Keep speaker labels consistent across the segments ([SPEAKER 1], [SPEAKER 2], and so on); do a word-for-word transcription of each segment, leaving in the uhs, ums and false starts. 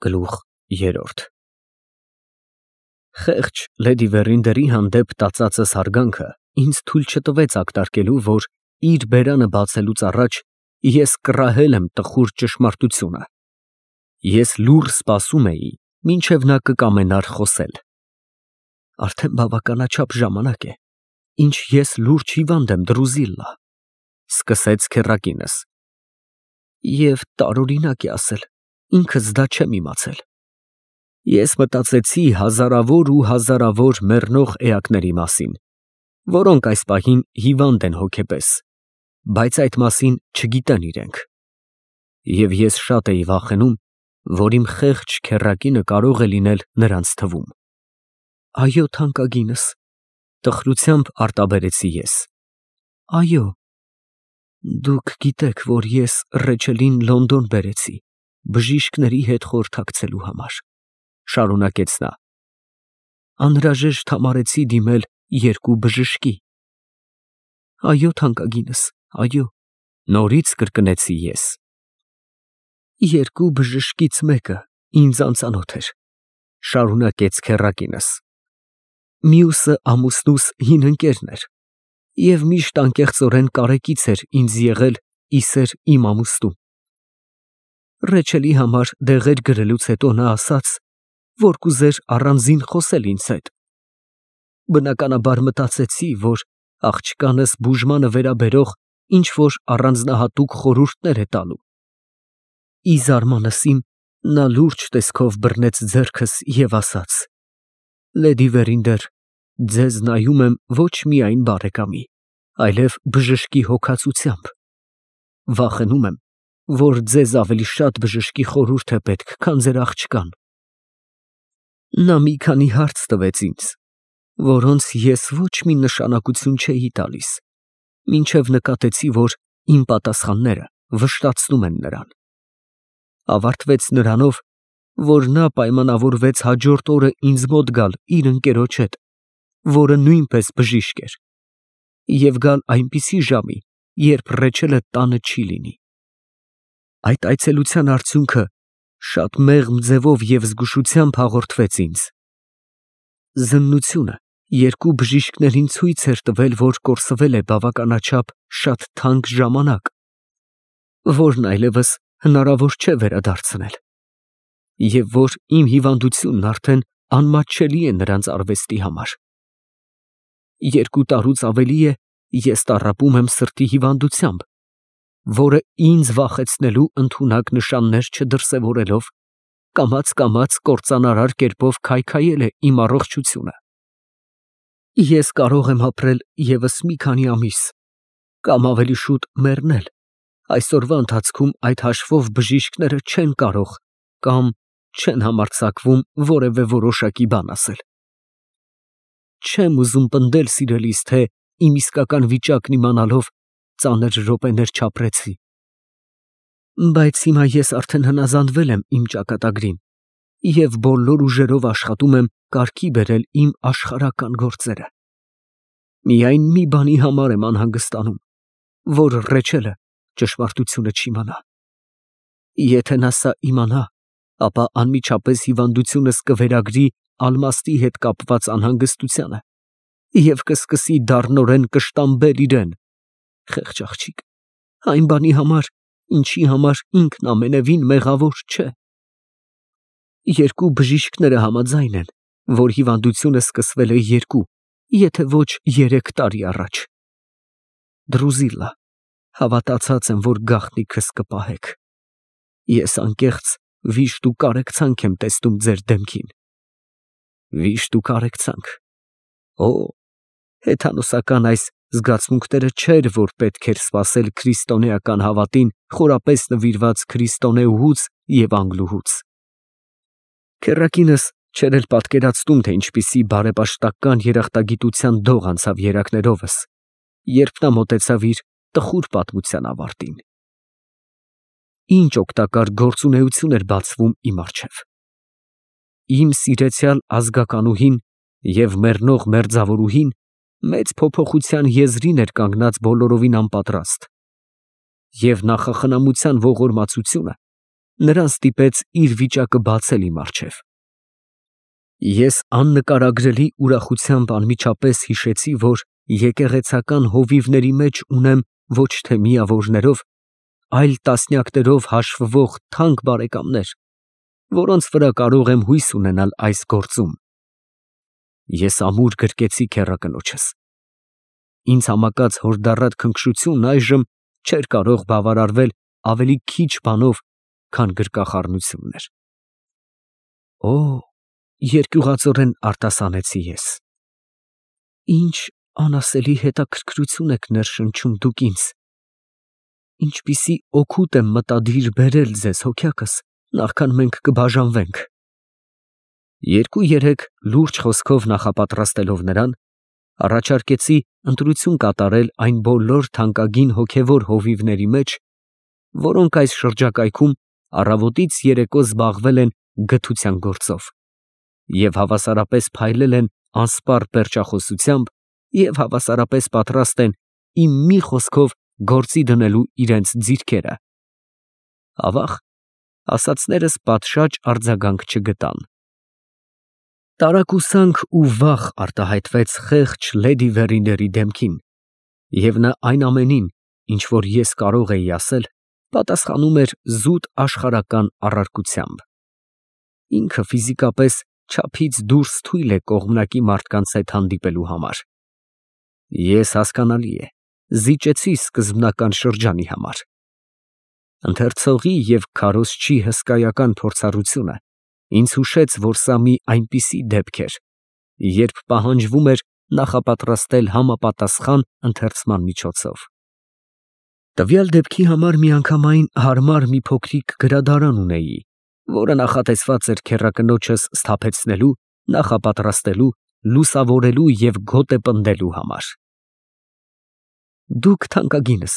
[SPEAKER 1] Գլուխ երրորդ Խեղճ լեդի Վերինդերի հանդեպ տածածս հարգանքը ինձ թույլ չտվեց ակտարկելու, որ իր բերանը բացելուց առաջ ես կռահել եմ տխուր ճշմարտությունը։ Ես լուռ սպասում էի, մինչև նա կկամենար խոսել։ Արդեն բավականաչափ ժամանակ է, ինչ ես լուրջ հիվանդ եմ, Դրուզիլլա, սկսեց քեռակինս։ Եվ տարօրինակ է ասել, ինքս դա չեմ իմացել։ Ես մտածեցի հազարավոր ու հազարավոր մեռնող էակների մասին, որոնք այս պահին հիվանդ են հոգեպես, բայց այդ մասին չգիտեն իրենք։ Եվ ես շատ էի վախենում, որ իմ խեղճ քեռակինը կարող է լինել նրանց թվում։ Այո, թանկագինս, տխրությամբ արտաբերեցի ես։ Այո, դուք գիտեք, որ ես Ռեչելին Լոնդոն բերեցի բժիշկների հետ խորհրդակցելու համար, շարունակեց նա։ Անհրաժեշտ համարեցի դիմել երկու բժշկի։ Այո, թանկագինս, այո, նորից կրկնեցի ես։ Երկու բժշկից մեկը ինձ անծանոթ էր, շարունակեց քեռակինս։ Մյուսը ամուսնուս հին ընկերն էր և միշտ անկեղծորեն կարեկից էր ինձ եղել իսեր իմ ամուսնու։ Ռեչելի համար դեղեր գրելուց հետո նա ասաց, որ կուզեր առանձին խոսել ինձ հետ։ Բնականաբար մտածեցի, որ աղջկանս բուժմանը վերաբերող ինչ-որ առանձնահատուկ խորհուրդներ է տալու։ Ի զարմանս իմ, նա լուրջ տեսքով բռնեց ձեռքս և ասաց. Լեդի Վերինդեր, ձեզ նայում եմ ոչ միայն բարեկամի, այլև բժշկի հոգածությամբ։ Վախենում եմ, որ ձեզ ավելի շատ բժշկի խորհուրդ է պետք, քան ձեր աղջկան։ Նա մի քանի հարց տվեց ինձ, որոնց ես ոչ մի նշանակություն չէի տալիս, մինչև նկատեցի, որ իմ պատասխանները վշտացնում են նրան։ Ավարտվեց նրանով, որ նա պայմանավորվեց հաջորդ օրը ինձ մոտ գալ իր ընկերոջ հետ, որը նույնպես բժիշկ էր, և գալ այնպիսի ժամի, երբ Ռեչելը տանը չի լինի։ Այդ այցելության արդյունքը շատ մեղմ ձևով և զգուշությամբ հաղորդվեց ինձ։ Զննությունը երկու բժիշկներին ցույց էր տվել, որ կորսվել է բավականաչափ շատ թանկ ժամանակ, որն այլևս հնարավոր չէ վերադարձնել, և որ իմ հիվանդությունն արդեն անմատչելի է նրանց արվեստի համար։ Երկու տարուց ավելի է ես տառապում եմ սրտի հիվանդությամբ, որը ինձ վախեցնելու ընդունակ նշաններ չդրսևորելով, կամաց֊կամաց կործանարար կերպով քայքայել է իմ առողջությունը։ Ես կարող եմ ապրել ևս մի քանի ամիս, կամ ավելի շուտ մեռնել, այսօրվա ընթացքում այդ հաշվով բժիշկները չեն կարող կամ չեն համարձակվում որևէ որոշակի բան ասել։ Չեմ ուզում պնդել, սիրելիս, թե իմ իսկական վիճակն իմանալով ծանր րոպեներ չապրեցի։ Բայց հիմա ես արդեն հնազանդվել եմ իմ ճակատագրին և բոլոր ուժերով աշխատում եմ կարգի բերել իմ աշխարհական գործերը։ Միայն մի բանի համար եմ անհանգստանում, որ Ռեչելը ճշմարտությունը չիմանա։ Եթե նա սա իմանա, ապա անմիջապես հիվանդությունս կվերագրի ալմաստի հետ կապված անհանգստությանը և կսկսի դառնորեն կշտամբել իրեն, խեղճ աղջիկ, այն բանի համար, ինչի համար ինքն ամենևին մեղավոր չէ։ Երկու բժիշկները համաձայն են, որ հիվանդությունը սկսվել է երկու, եթե ոչ երեք տարի առաջ։ Դրուզիլլա, հավատացած եմ, որ գաղտնիքս կպահեք։ Ես անկեղծ վիշտ ու կարեկցանք եմ տեսնում ձեր դեմքին։ Վիշտ ու կարեկցանք։ Օ, հեթանոսական այս զգացմունքները չէր, որ պետք էր սպասել քրիստոնեական հավատին խորապես նվիրված քրիստոնեուհուց և անգլուհուց։ Քեռակինս չէր էլ պատկերացնում, թե ինչպիսի բարեպաշտական երախտագիտության դող անցավ երակներովս, երբ նա մոտեցավ իր տխուր պատմության ավարտին։ Ինչ օգտակար գործունեություն էր բացվում իմ առջև։ Իմ սիրեցյալ ազգականուհին և մեռնող մերձավորուհին մեծ փոփոխության եզրին էր կանգնած բոլորովին անպատրաստ, և նախախնամության ողորմածությունը նրան ստիպեց իր վիճակը բացել իմ առջև։ Ես աննկարագրելի ուրախությամբ անմիջապես հիշեցի, որ եկեղեցական հովիվների մեջ ունեմ ոչ թե միավորներով, այլ տասնյակներով հաշվվող թանկ բարեկամներ, որոնց վրա կարող եմ հույս ունենալ այս գործում։ Ես ամուր գրկեցի քեռակնոջս։ Ինձ համակած հորդառատ քնքշությունն այժմ չէր կարող բավարարվել ավելի քիչ բանով, քան գրկախառնությունն էր։ Օ, երկյուղածորեն արտասանեցի ես։ Ինչ անասելի հետաքրքրություն եք ներշնչում դուք ինձ։ Ինչպիսի օգուտ եմ մտադիր բերել ձեզ, հոգյակս, նախքան մենք կբաժանվենք։ Երկու-երեք լուրջ խոսքով նախապատրաստելով նրան, առաջարկեցի ընտրություն կատարել այն բոլոր թանկագին հոգևոր հովիվների մեջ, որոնք այս շրջակայքում առավոտից երեկո զբաղվել են գթության գործով և հավասարապես փայլել են անսպառ պերճախոսությամբ և հավասարապես պատրաստ են իմ մի խոսքով գործի դնելու իրենց ձիրքերը։ Ավաղ, ասածներս պատշաճ արձագանք չգտան։ Տարակուսանք ու վախ արտահայտվեց խեղճ լեդի Վերինդերի դեմքին, և նա այն ամենին, ինչ որ ես կարող էի ասել, պատասխանում էր զուտ աշխարհական առարկությամբ։ Ինքը ֆիզիկապես չափից դուրս թույլ է կողմնակի մարդկանց հետ հանդիպելու համար։ Ես, հասկանալի է, զիջեցի սկզբնական շրջանի համար։ Ընթերցողի և քարոզչի հսկայական փորձառությունը ինձ հուշեց, որ սա մի այնպիսի դեպք էր, երբ պահանջվում էր նախապատրաստել համապատասխան ընթերցման միջոցով։ Տվյալ դեպքի համար միանգամայն հարմար մի փոքրիկ գրադարան ունեի, որը նախատեսված էր քեռակնոջս սթափեցնելու, նախապատրաստելու, լուսավորելու և գոտեպնդելու համար։ Դուք, թանկագինս,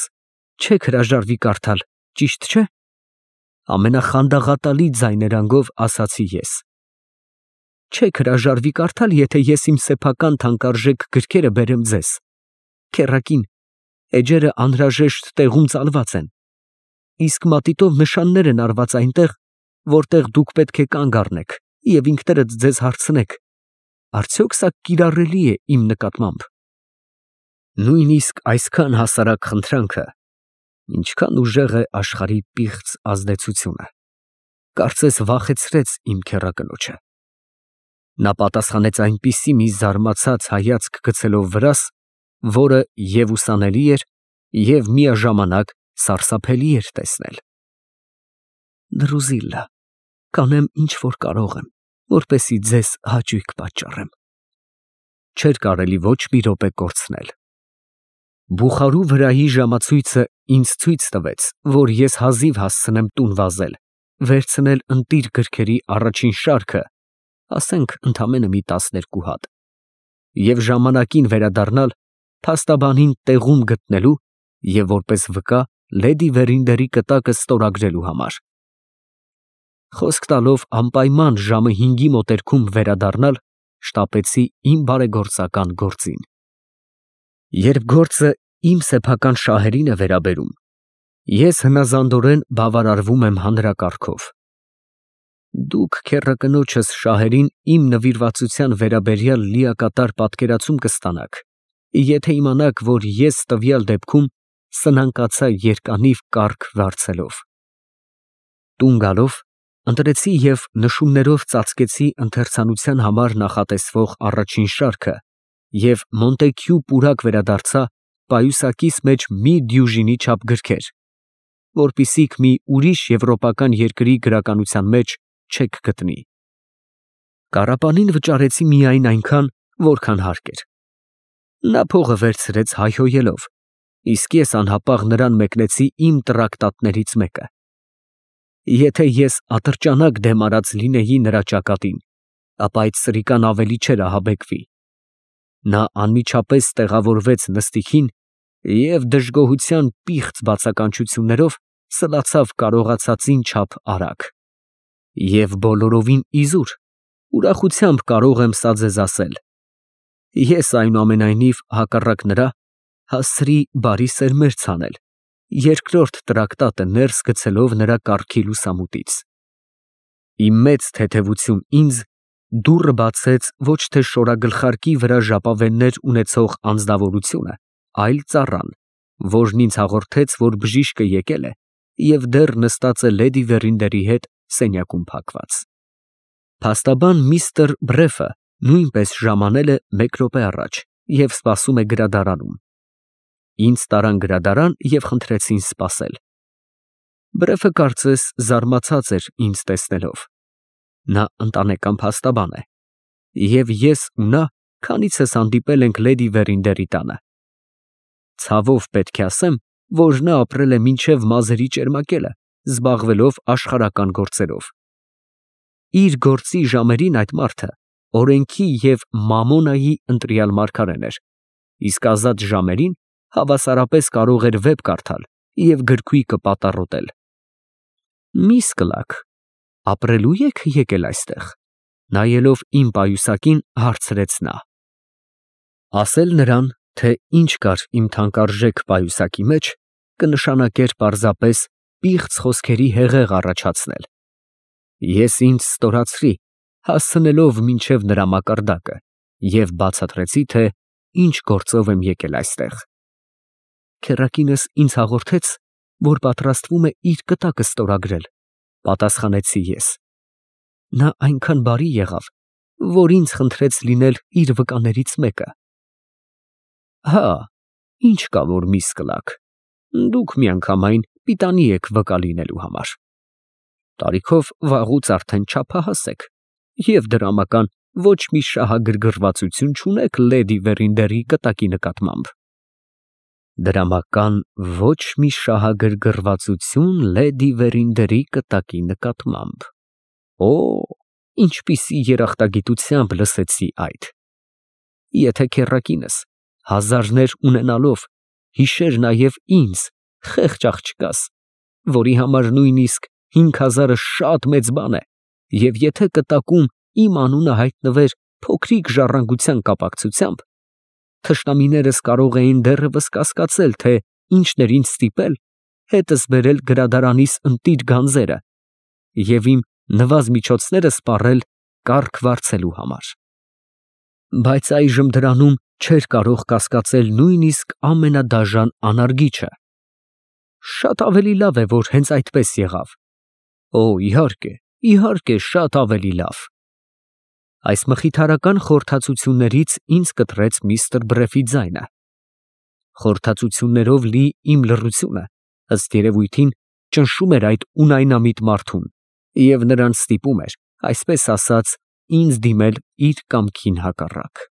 [SPEAKER 1] չեք հրաժարվի կարդալ, ճիշտ չէ՞, ամենախանդաղատալի ձայներանգով ասացի ես։ Չեք հրաժարվի կարդալ, եթե ես իմ սեփական թանկարժեք գրքերը բերեմ ձեզ։ Քեռակին, էջերը անհրաժեշտ տեղում ծալված են, իսկ մատիտով նշաններ են արված այնտեղ, որտեղ դուք պետք է կանգ առնեք և ինքներդ ձեզ հարցնեք. արդյոք սա կիրառելի է իմ նկատմամբ։ Նույնիսկ այսքան հասարակ խնդրանքը, ինչքան ուժեղ է աշխարհի պիղծ ազդեցությունը, կարծես վախեցրեց իմ քեռակնոջը։ Նա պատասխանեց այնպիսի մի զարմացած հայացք գցելով վրաս, որը և ուսանելի էր, և միաժամանակ սարսափելի էր տեսնել։ Դրուզիլլա, կանեմ ինչ որ կարող եմ, որպեսզի ձեզ հաճույք պատճառեմ։ Չէր կարելի ոչ մի րոպե կորցնել։ Բուխարու վրայի ժամացույցը ինձ ցույց տվեց, որ ես հազիվ հասցնեմ տուն վազել, վերցնել ընտիր գրքերի առաջին շարքը, ասենք ընդամենը մի տասներկու հատ, և ժամանակին վերադառնալ փաստաբանին տեղում գտնելու և որպես վկա լեդի Վերինդերի կտակը ստորագրելու համար։ Խոսք տալով անպայման ժամը հինգի մոտերքում վերադառնալ, շտապեցի իմ բարեգործական գործին։ Երբ գործը իմ սեփական շահերին է վերաբերում, ես հնազանդորեն բավարարվում եմ հանրակարգով։ Դուք քեռակնոջս շահերին իմ նվիրվածության վերաբերյալ լիակատար պատկերացում կստանաք, եթե իմանաք, որ ես տվյալ դեպքում սնանկացա երկանիվ կառք վարձելով։ Տուն գալով, ընտրեցի և նշումներով ծածկեցի ընթերցանության համար նախատեսվող առաջին շարքը և Մոնտեքյու պուրակ վերադարձա պայուսակիս մեջ մի դյուժինի չափ գրքեր, որպիսիք մի ուրիշ եվրոպական երկրի գրականության մեջ չեք գտնի։ Կառապանին վճարեցի միայն այնքան, որքան հարկ էր։ Նա փողը վերցրեց հայհոյելով, իսկ ես անհապաղ նրան մեկնեցի իմ տրակտատներից մեկը։ Եթե ես ատրճանակ դեմ արած լինեի նրա ճակատին, ապա այդ սրիկան ավելի չէր ահաբեկվի։ Նա անմիջապես տեղավորվեց նստիքին և դժգոհության պիղծ բացականչություններով սլացավ կարողացածին չափ արագ։ Եվ բոլորովին իզուր, ուրախությամբ կարող եմ սա ձեզ ասել. ես այնուամենայնիվ հակառակ նրա հասցրի բարի սերմեր ցանել երկրորդ տրակտատը ներս գցելով նրա կառքի լուսամուտից։ Իմ մեծ թեթևություն ինձ դուռը բացեց ոչ թե շորագլխարկի վրա ժապավեններ ունեցող անձնավորությունը, այլ ծառան, որն ինձ հաղորդեց, որ բժիշկը եկել է և դեռ նստած է լեդի Վերինդերի հետ սենյակում փակված։ Փաստաբան միստր Բրեֆը նույնպես ժամանել է մեկ րոպե առաջ և սպասում է գրադարանում։ Ինձ տարան գրադարան և խնդրեցին սպասել։ Բրեֆը կարծես զարմացած էր ինձ տեսնելով։ Նա ընտանեկան փաստաբան է, և ես ու նա քանիցս հանդիպել ենք լեդի Վերինդերի տանը։ Ցավով պետք է ասեմ, որ նա ապրել է մինչև մազերի ճերմակելը, զբաղվելով աշխարհական գործերով։ Իր գործի ժամերին այդ մարդը օրենքի և մամոնայի ընտրյալ մարգարեն էր, իսկ ազատ ժամերին հավասարապես կարող էր վեպ կարդալ և գրքույկը պատառոտել։ Միս Կլարկ, ապրելո՞ւ եք եկել այստեղ, նայելով իմ պայուսակին, հարցրեց նա։ Ասել նրան, թե ինչ կար իմ թանկարժեք պայուսակի մեջ, կնշանակեր պարզապես պիղծ խոսքերի հեղեղ առաջացնել։ Ես ինձ ստորացրի, հասցնելով մինչև նրա մակարդակը, և բացատրեցի, թե ինչ գործով եմ եկել այստեղ։ Քեռակինս ինձ հաղորդեց, որ պատրաստվում է իր կտակը ստորագրել, պատասխանեցի ես։ Նա այնքան բարի եղավ, որ ինձ խնդրեց լինել իր վկաներից մեկը։ Հա, ինչ կա որ, միս Կլարկ, դուք միանգամայն պիտանի եք վկա լինելու համար։ Տարիքով վաղուց արդեն չափահաս եք և դրամական ոչ մի շահագրգռվածություն չունեք լեդի Վերինդերի կտակի նկատմամբ։ Դրամական ոչ մի շահագրգռվածություն լեդի Վերինդերի կտակի նկատմամբ։ Օ, ինչպիսի երախտագիտությամբ լսեցի այդ։ Եթե քեռակինս հազարներ ունենալով հիշեր նաև ինձ, խեղճ աղջկաս, որի համար նույնիսկ հինգ հազարը շատ մեծ բան է, և եթե կտակում իմ անունը հայտնվեր փոքրիկ ժառանգության կապակցությամբ, թշնամիներս կարող էին դեռևս կասկածել, թե ինչն էր ինձ ստիպել հետս բերել գրադարանիս ընտիր գանձերը և իմ նվազ միջոցները սպառել կառք վարձելու համար։ Բայց այժմ դրանում չէր կարող կասկածել նույնիսկ ամենադաժան անարգիչը։ Շատ ավելի լավ է, որ հենց այդպես եղավ։ Օ, իհարկե, իհարկե, շատ ավելի լավ։ Այս մխիթարական խորհրդածություններից ինձ կտրեց միստր Բրեֆի ձայնը։ Խորհրդածություններով լի իմ լռությունը, ըստ երևույթին, ճնշում էր այդ ունայնամիտ մարդուն և նրան ստիպում էր, այսպես ասած, ինձ դիմել իր կամքին հակառակ։